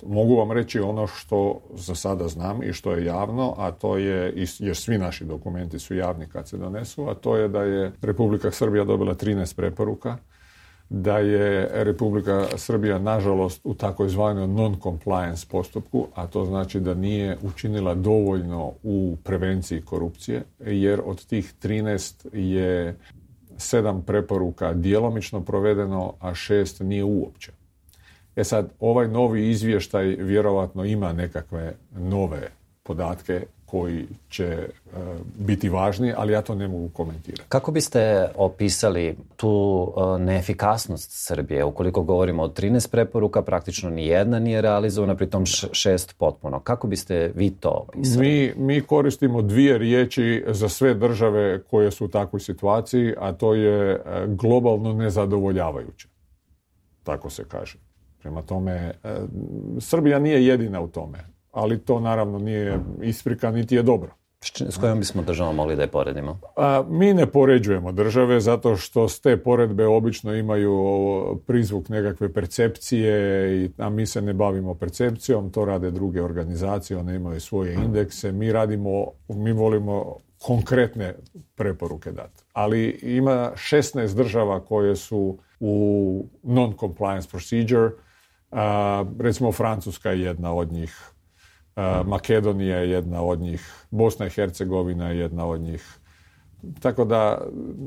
Mogu vam reći ono što za sada znam i što je javno, a to je, jer svi naši dokumenti su javni kad se donesu, a to je da je Republika Srbija dobila 13 preporuka, da je Republika Srbija nažalost u takozvanoj non-compliance postupku, a to znači da nije učinila dovoljno u prevenciji korupcije, jer od tih 13 je 7 preporuka djelomično provedeno, a 6 nije uopće. Sad, ovaj novi izvještaj vjerovatno ima nekakve nove podatke koji će biti važni, ali ja to ne mogu komentirati. Kako biste opisali tu neefikasnost Srbije? Ukoliko govorimo o 13 preporuka, praktično ni jedna nije realizovana, pritom 6 potpuno. Kako biste vi to opisali? Mi koristimo 2 riječi za sve države koje su u takvoj situaciji, a to je globalno nezadovoljavajuće. Tako se kaže. Prema tome, Srbija nije jedina u tome, ali to naravno nije isprika, niti je dobro. S kojom bismo državom mogli da je poredimo? Mi ne poređujemo države zato što te poredbe obično imaju prizvuk nekakve percepcije, a mi se ne bavimo percepcijom, to rade druge organizacije, one imaju svoje indekse, mi volimo konkretne preporuke dati. Ali ima 16 država koje su u non-compliance procedure, recimo Francuska je jedna od njih, Makedonija je jedna od njih, Bosna i Hercegovina je jedna od njih. Tako da,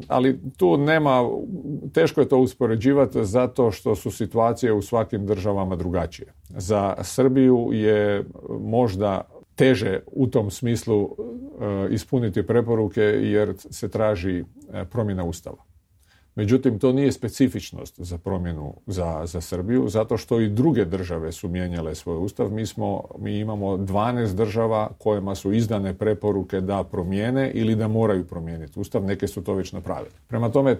ali tu nema, teško je to uspoređivati zato što su situacije u svakim državama drugačije. Za Srbiju je možda teže u tom smislu ispuniti preporuke jer se traži promjena Ustava. Međutim, to nije specifičnost za promjenu za Srbiju, zato što i druge države su mijenjale svoj ustav. Mi imamo 12 država kojima su izdane preporuke da promijene ili da moraju promijeniti ustav. Neke su to već napravile. Prema tome,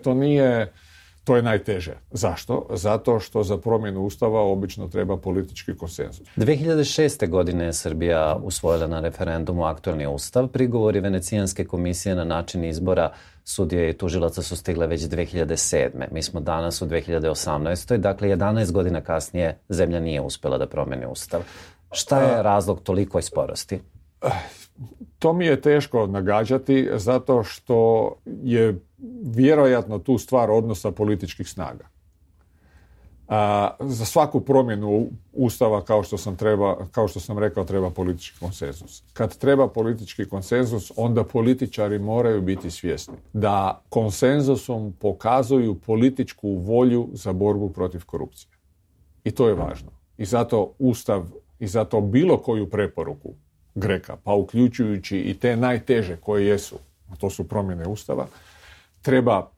to je najteže. Zašto? Zato što za promjenu ustava obično treba politički konsenzus. 2006. godine je Srbija usvojila na referendumu aktualni ustav. Prigovori Venecijanske komisije na način izbora sudije i tužilaca su stigle već 2007. Mi smo danas u 2018. Dakle, 11 godina kasnije zemlja nije uspjela da promijeni ustav. Šta je razlog tolikoj sporosti? To mi je teško nagađati zato što je vjerojatno tu stvar odnosa političkih snaga. Za svaku promjenu ustava, kao što sam rekao, treba politički konsenzus. Kad treba politički konsenzus, onda političari moraju biti svjesni da konsenzusom pokazuju političku volju za borbu protiv korupcije. I to je važno. I zato ustav, i zato bilo koju preporuku Greka, pa uključujući i te najteže koje jesu, a to su promjene ustava, treba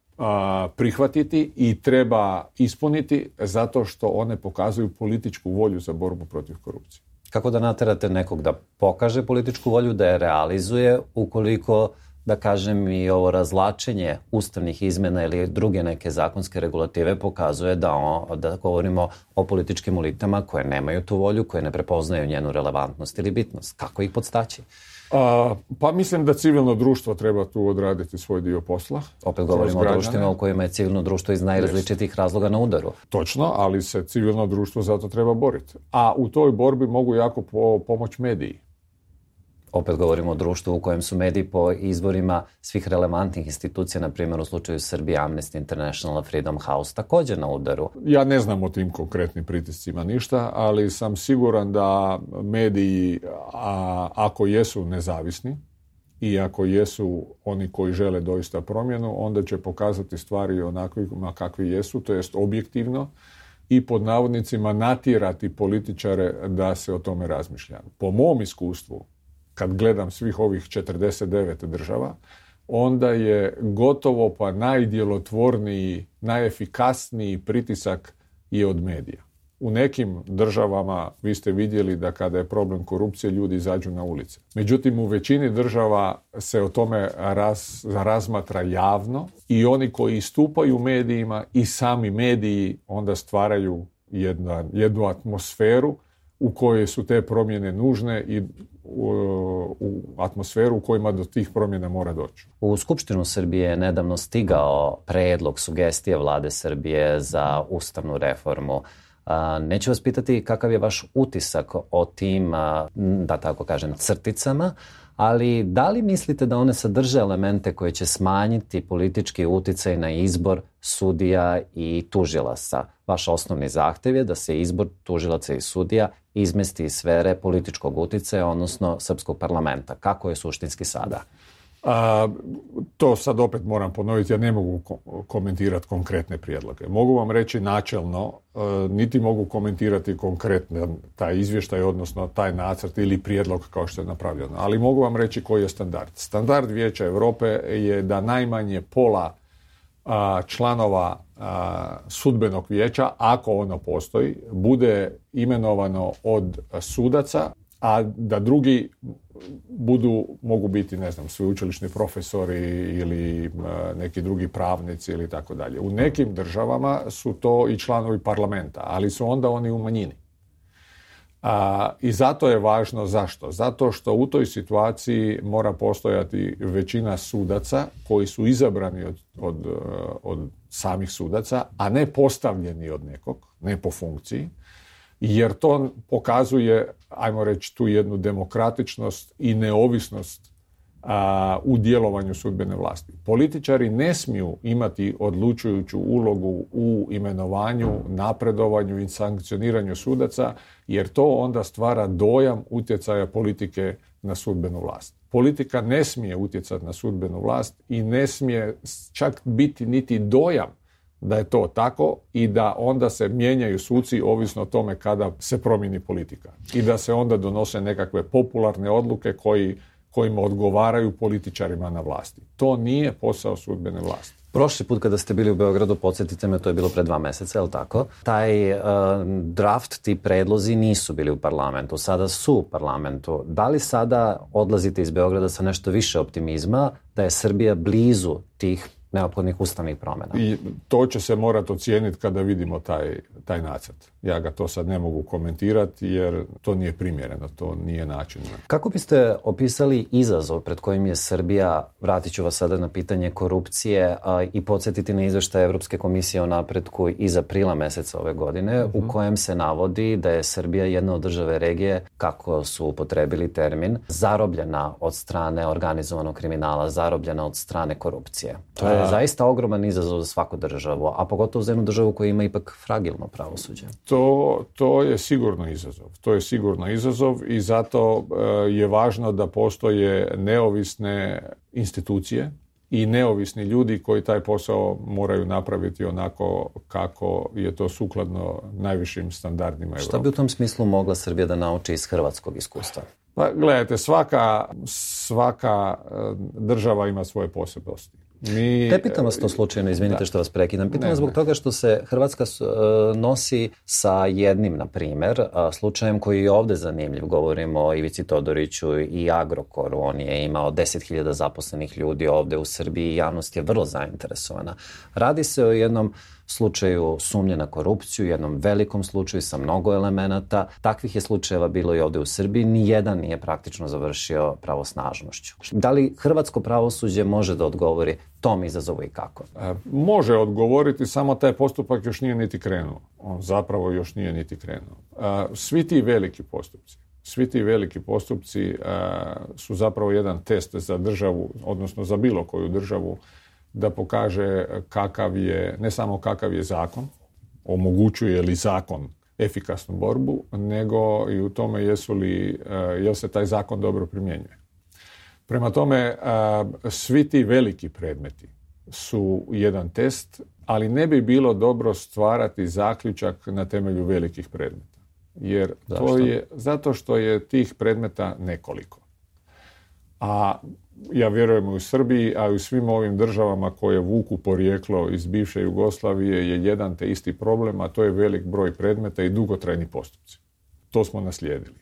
prihvatiti i treba ispuniti zato što one pokazuju političku volju za borbu protiv korupcije. Kako da naterate nekog da pokaže političku volju, da je realizuje, ukoliko, da kažem, i ovo razlačenje ustavnih izmjena ili druge neke zakonske regulative pokazuje da govorimo o političkim elitama koje nemaju tu volju, koje ne prepoznaju njenu relevantnost ili bitnost? Kako ih podstaći? Pa mislim da civilno društvo treba tu odraditi svoj dio posla. Opet govorimo o društvima u kojima je civilno društvo iz najrazličitih razloga na udaru. Točno, ali se civilno društvo zato treba boriti. A u toj borbi mogu jako pomoći mediji. Opet govorimo o društvu u kojem su mediji po izvorima svih relevantnih institucija, na primjer u slučaju Srbije, Amnesty International, Freedom House, također na udaru. Ja ne znam o tim konkretnim pritiscima ništa, ali sam siguran da mediji, ako jesu nezavisni i ako jesu oni koji žele doista promjenu, onda će pokazati stvari onakvima kakvi jesu, to jest objektivno, i pod navodnicima natjerati političare da se o tome razmišlja. Po mom iskustvu, kad gledam svih ovih 49 država, onda je gotovo pa najdjelotvorniji, najefikasniji pritisak je od medija. U nekim državama vi ste vidjeli da kada je problem korupcije ljudi izađu na ulice. Međutim, u većini država se o tome razmatra javno i oni koji istupaju u medijima i sami mediji onda stvaraju jednu atmosferu u kojoj su te promjene nužne i u atmosferu u kojima do tih promjena mora doći. U Skupštinu Srbije je nedavno stigao predlog, sugestije vlade Srbije za ustavnu reformu. Neću vas pitati kakav je vaš utisak o tim, da tako kažem, crticama, ali da li mislite da one sadrže elemente koje će smanjiti politički uticaj na izbor sudija i tužilaca? Vaš osnovni zahtev je da se izbor tužilaca i sudija izmesti iz sfere političkog uticaja, odnosno srpskog parlamenta. Kako je suštinski sada? To sad opet moram ponoviti, ja ne mogu komentirati konkretne prijedloge. Mogu vam reći načelno, niti mogu komentirati konkretno taj izvještaj, odnosno taj nacrt ili prijedlog kao što je napravljeno. Ali mogu vam reći koji je standard. Standard Vijeća Europe je da najmanje pola članova sudbenog vijeća, ako ono postoji, bude imenovano od sudaca, a da drugi mogu biti, ne znam, sveučilišni profesori ili neki drugi pravnici ili tako dalje. U nekim državama su to i članovi parlamenta, ali su onda oni u manjini. I zato je važno zašto? Zato što u toj situaciji mora postojati većina sudaca koji su izabrani od samih sudaca, a ne postavljeni od nekog, ne po funkciji, jer to pokazuje, ajmo reći, tu jednu demokratičnost i neovisnost u djelovanju sudbene vlasti. Političari ne smiju imati odlučujuću ulogu u imenovanju, napredovanju i sankcioniranju sudaca, jer to onda stvara dojam utjecaja politike na sudbenu vlast. Politika ne smije utjecati na sudbenu vlast i ne smije čak biti niti dojam da je to tako i da onda se mijenjaju suci ovisno o tome kada se promijeni politika. I da se onda donose nekakve popularne odluke kojima odgovaraju političarima na vlasti. To nije posao sudbene vlasti. Prošli put kada ste bili u Beogradu, podsjetite me, to je bilo pre 2 meseca, je li tako? Taj draft, ti predlozi nisu bili u parlamentu, sada su u parlamentu. Da li sada odlazite iz Beograda sa nešto više optimizma da je Srbija blizu tih neophodnih ustavnih promjena? I to će se morati ocijeniti kada vidimo taj nacrt. Ja ga to sad ne mogu komentirati jer to nije primjereno, to nije način. Kako biste opisali izazov pred kojim je Srbija, vratit ću vas sada na pitanje korupcije i podsjetiti na izveštaj Evropske komisije o napretku iz aprila meseca ove godine, u kojem se navodi da je Srbija jedna od države regije, kako su upotrebili termin, zarobljena od strane organizovanog kriminala, zarobljena od strane korupcije. To je zaista ogroman izazov za svaku državu, a pogotovo za jednu državu koja ima ipak fragilno pravosuđe. To je sigurno izazov. To je sigurno izazov i zato je važno da postoje neovisne institucije i neovisni ljudi koji taj posao moraju napraviti onako kako je to sukladno najvišim standardima Europe. Šta bi u tom smislu mogla Srbija da nauči iz hrvatskog iskustva? Pa gledajte, svaka država ima svoje posebnosti. Ne pitam vas to slučajno, izvinite što vas prekidam. Pitam vas zbog toga što se Hrvatska nosi sa jednim, na primjer, slučajem koji je ovdje zanimljiv. Govorimo o Ivici Todoriću i Agrokoru. On je imao 10.000 zaposlenih ljudi ovdje u Srbiji i javnost je vrlo zainteresovana. Radi se o jednom slučaju sumnje na korupciju, jednom velikom slučaju sa mnogo elemenata. Takvih je slučajeva bilo i ovdje u Srbiji. Nijedan nije praktično završio pravosnažnošću. Da li hrvatsko pravosuđe može da odgovori tom izazovu i kako? Može odgovoriti, samo taj postupak još nije niti krenuo. On zapravo još nije niti krenuo. Svi ti veliki postupci su zapravo jedan test za državu, odnosno za bilo koju državu, da pokaže ne samo kakav je zakon, omogućuje li zakon efikasnu borbu, nego i u tome jel se taj zakon dobro primjenjuje. Prema tome, svi ti veliki predmeti su jedan test, ali ne bi bilo dobro stvarati zaključak na temelju velikih predmeta. Jer zato što je tih predmeta nekoliko. A ja vjerujem u Srbiji, a i u svim ovim državama koje vuku porijeklo iz bivše Jugoslavije je jedan te isti problem, a to je velik broj predmeta i dugotrajni postupci. To smo naslijedili.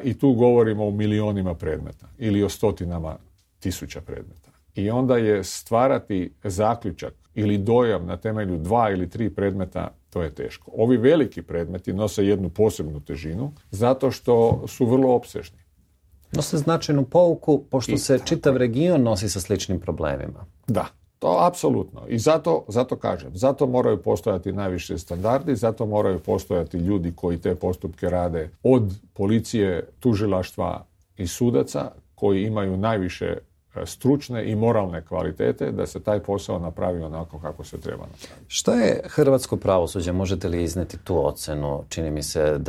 I tu govorimo o milionima predmeta ili o stotinama tisuća predmeta. I onda je stvarati zaključak ili dojam na temelju 2 ili 3 predmeta, to je teško. Ovi veliki predmeti nose jednu posebnu težinu zato što su vrlo opsežni. Nose značajnu pouku, pošto se čitav region nosi sa sličnim problemima. Da. To apsolutno. I zato kažem, zato moraju postojati najviše standardi, zato moraju postojati ljudi koji te postupke rade od policije, tužilaštva i sudaca koji imaju najviše stručne i moralne kvalitete da se taj posao napravi onako kako se treba napraviti. Šta je hrvatsko pravosuđe? Možete li izneti tu ocenu? Čini mi se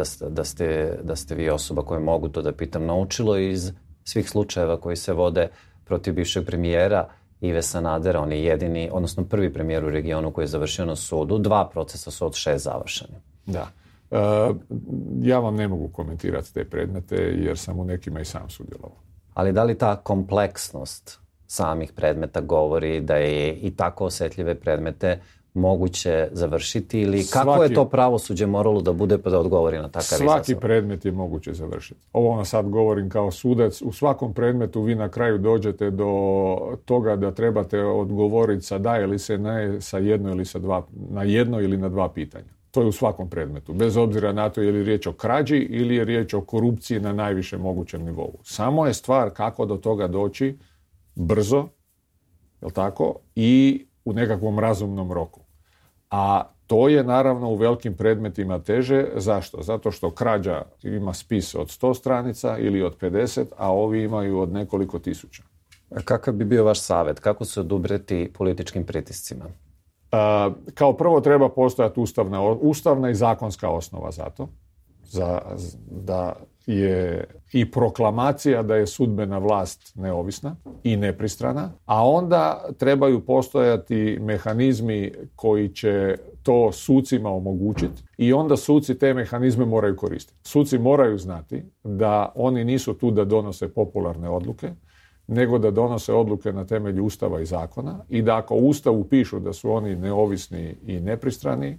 da ste vi osoba koja mogu to da pitam naučilo iz svih slučajeva koji se vode protiv bivšeg premijera Ive Sanadera. On je jedini, odnosno prvi premijer u regionu koji je završio na sudu. 2 procesa su od 6 završeni. Da. Ja vam ne mogu komentirati te predmete jer sam u nekima i sam sudjelovao. Ali da li ta kompleksnost samih predmeta govori da je i tako osjetljive predmete moguće završiti ili kako je to pravosuđe moralo da bude pa da odgovori na takav izazov? Svaki predmet je moguće završiti. Ovo vam sad govorim kao sudac. U svakom predmetu vi na kraju dođete do toga da trebate odgovoriti sa da ili se ne, sa jedno ili sa dva, na jedno ili na 2 pitanja. To je u svakom predmetu, bez obzira na to je li riječ o krađi ili je riječ o korupciji na najvišem mogućem nivou. Samo je stvar kako do toga doći brzo, jel tako, i u nekakvom razumnom roku. A to je naravno u velikim predmetima teže. Zašto? Zato što krađa ima spis od 100 stranica ili od 50, a ovi imaju od nekoliko tisuća. A kakav bi bio vaš savjet? Kako se odubreti političkim pritiscima? Kao prvo treba postojati ustavna i zakonska osnova za to. Da je i proklamacija da je sudbena vlast neovisna i nepristrana, a onda trebaju postojati mehanizmi koji će to sucima omogućiti i onda suci te mehanizme moraju koristiti. Suci moraju znati da oni nisu tu da donose popularne odluke, nego da donose odluke na temelju Ustava i zakona i da ako u Ustavu pišu da su oni neovisni i nepristrani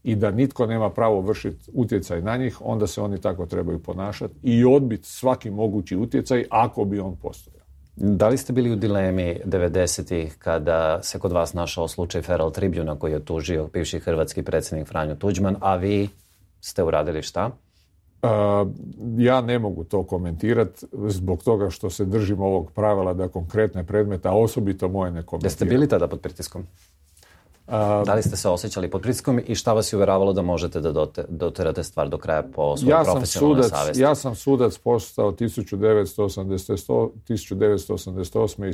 i da nitko nema pravo vršiti utjecaj na njih, onda se oni tako trebaju ponašati i odbiti svaki mogući utjecaj ako bi on postojao. Da li ste bili u dilemi 90-ih kada se kod vas našao slučaj Feral Tribuna koji je tužio bivši hrvatski predsjednik Franjo Tuđman, a vi ste uradili šta? Ja ne mogu to komentirati zbog toga što se držim ovog pravila da konkretne predmete, a osobito moje ne komentiram. Jeste bili tada pod pritiskom? Da li ste se osjećali pod pritiskom i šta vas je uvjeravalo da možete da doterate stvar do kraja po svojoj profesionalnoj savjesti? Ja sam sudac postao 1988. i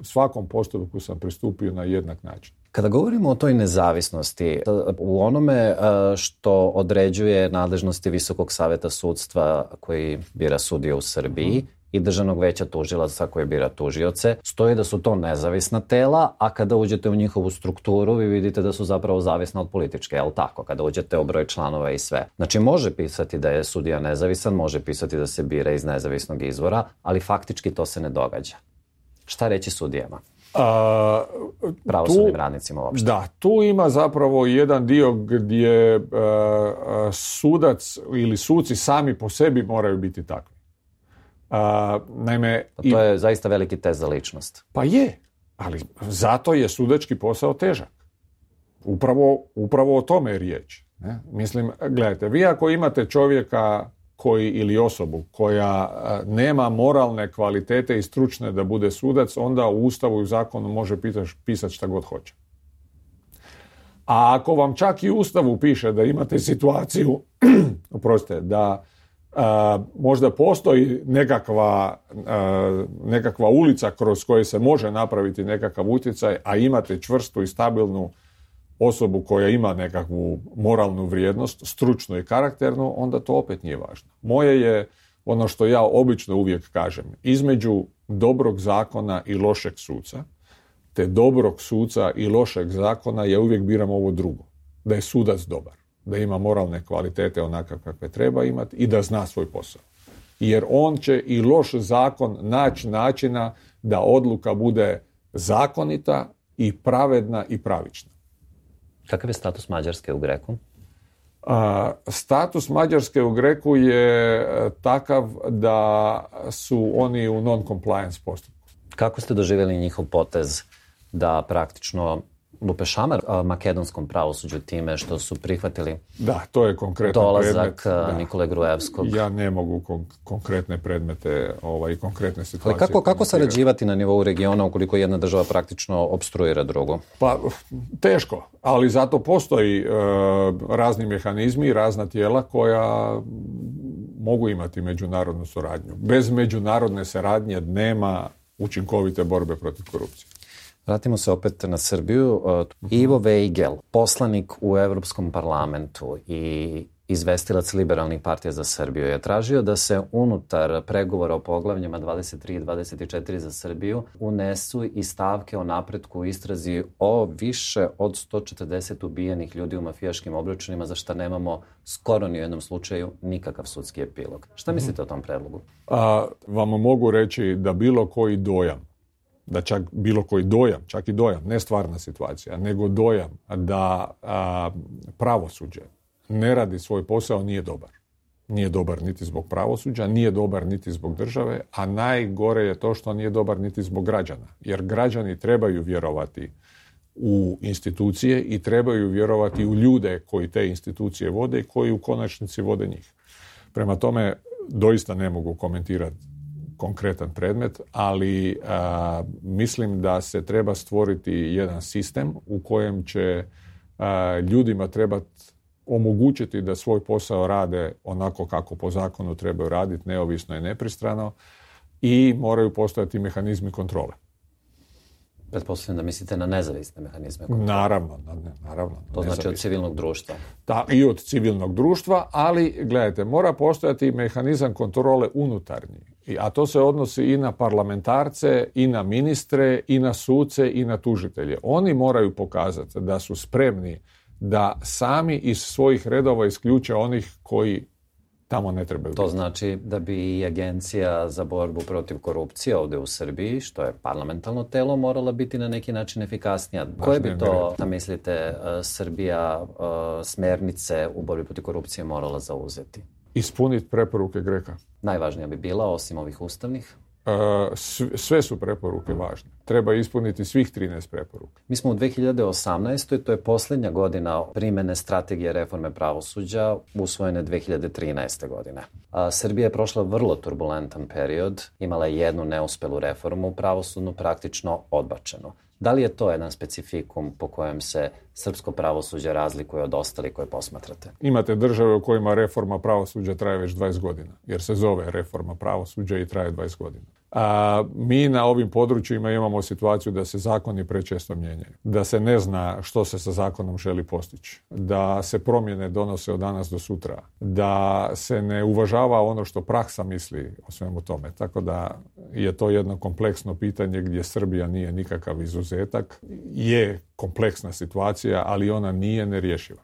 svakom postupku sam pristupio na jednak način. Kada govorimo o toj nezavisnosti, u onome što određuje nadležnosti Visokog savjeta sudstva koji bira sudije u Srbiji i Državnog veća tužilaca koji bira tužioce, stoji da su to nezavisna tela, a kada uđete u njihovu strukturu vi vidite da su zapravo zavisna od političke, jel tako? Kada uđete u broj članova i sve. Znači može pisati da je sudija nezavisan, može pisati da se bira iz nezavisnog izvora, ali faktički to se ne događa. Šta reći sudijama? Pravosudnim radnicima uopšte. Da, tu ima zapravo jedan dio gdje sudac ili suci sami po sebi moraju biti takvi. Naime, to je zaista veliki test za ličnost. Pa je, ali zato je sudački posao težak. Upravo o tome je riječ. Ne? Mislim, gledajte, vi ako imate čovjeka ili osobu koja nema moralne kvalitete i stručne da bude sudac, onda u Ustavu i zakonu može pisati šta god hoće. A ako vam čak i u Ustavu piše da situaciju, oprostite, da možda postoji nekakva ulica kroz koju se može napraviti nekakav utjecaj, a imate čvrstu i stabilnu osobu koja ima nekakvu moralnu vrijednost, stručnu i karakternu, onda to opet nije važno. Moje je ono što ja obično uvijek kažem, između dobrog zakona i lošeg suca, te dobrog suca i lošeg zakona, ja uvijek biram ovo drugo, da je sudac dobar, da ima moralne kvalitete onakav kakve treba imati i da zna svoj posao. Jer on će i loš zakon naći načina da odluka bude zakonita i pravedna i pravična. Kakav je status Mađarske u Greku? Status Mađarske u Greku je takav da su oni u non-compliance postupku. Kako ste doživjeli njihov potez da praktično lupe šamar makedonskom pravosuđu time što su prihvatili da, to je konkretan dolazak predmet, Nikole Gruevskog. Ja ne mogu konkretne predmete i konkretne situacije. Ali kako sarađivati na nivou regiona ukoliko jedna država praktično opstruira drugu? Pa teško, ali zato postoji razni mehanizmi i razna tijela koja mogu imati međunarodnu suradnju. Bez međunarodne suradnje nema učinkovite borbe protiv korupcije. Vratimo se opet na Srbiju. Ivo Vejgel, poslanik u Evropskom parlamentu i izvestilac Liberalnih partija za Srbiju, je tražio da se unutar pregovora o poglavljima 23 i 24 za Srbiju unesu i stavke o napretku u istrazi o više od 140 ubijenih ljudi u mafijaškim obračunima, za šta nemamo skoro ni u jednom slučaju nikakav sudski epilog. Šta mislite o tom predlogu? Vam mogu reći da bilo koji dojam, čak i dojam, ne stvarna situacija, nego dojam da pravosuđe ne radi svoj posao nije dobar. Nije dobar niti zbog pravosuđa, nije dobar niti zbog države, a najgore je to što nije dobar niti zbog građana. Jer građani trebaju vjerovati u institucije i trebaju vjerovati u ljude koji te institucije vode i koji u konačnici vode njih. Prema tome, doista ne mogu komentirati konkretan predmet, ali mislim da se treba stvoriti jedan sistem u kojem će ljudima trebati omogućiti da svoj posao rade onako kako po zakonu trebaju raditi, neovisno i nepristrano, i moraju postojati mehanizmi kontrole. Pretpostavljam da mislite na nezavisne mehanizme kontrole. Naravno. To znači od civilnog društva. I od civilnog društva, ali gledajte, mora postojati mehanizam kontrole unutarnji. A to se odnosi i na parlamentarce, i na ministre, i na suce, i na tužitelje. Oni moraju pokazati da su spremni da sami iz svojih redova isključe onih koji tamo ne trebaju biti. To znači da bi i Agencija za borbu protiv korupcije ovdje u Srbiji, što je parlamentarno telo, morala biti na neki način efikasnija. Koje bi to, mislite, Srbija smernice u borbi protiv korupcije morala zauzeti? Ispuniti preporuke GRECO-a. Najvažnija bi bila, osim ovih ustavnih? Sve su preporuke važne. Treba ispuniti svih 13 preporuka. Mi smo u 2018. To je posljednja godina primjene strategije reforme pravosuđa, usvojene 2013. godine. Srbija je prošla vrlo turbulentan period, imala je jednu neuspelu reformu pravosudnu, praktično odbačenu. Da li je to jedan specifikum po kojem se srpsko pravosuđe razlikuje od ostalih koje posmatrate? Imate države u kojima reforma pravosuđa traje već 20 godina, jer se zove reforma pravosuđa i traje 20 godina. Mi na ovim područjima imamo situaciju da se zakoni prečesto mijenjaju, da se ne zna što se sa zakonom želi postići, da se promjene donose od danas do sutra, da se ne uvažava ono što praksa misli o svemu tome. Tako da je to jedno kompleksno pitanje gdje Srbija nije nikakav izuzetak. Je kompleksna situacija, ali ona nije nerješiva.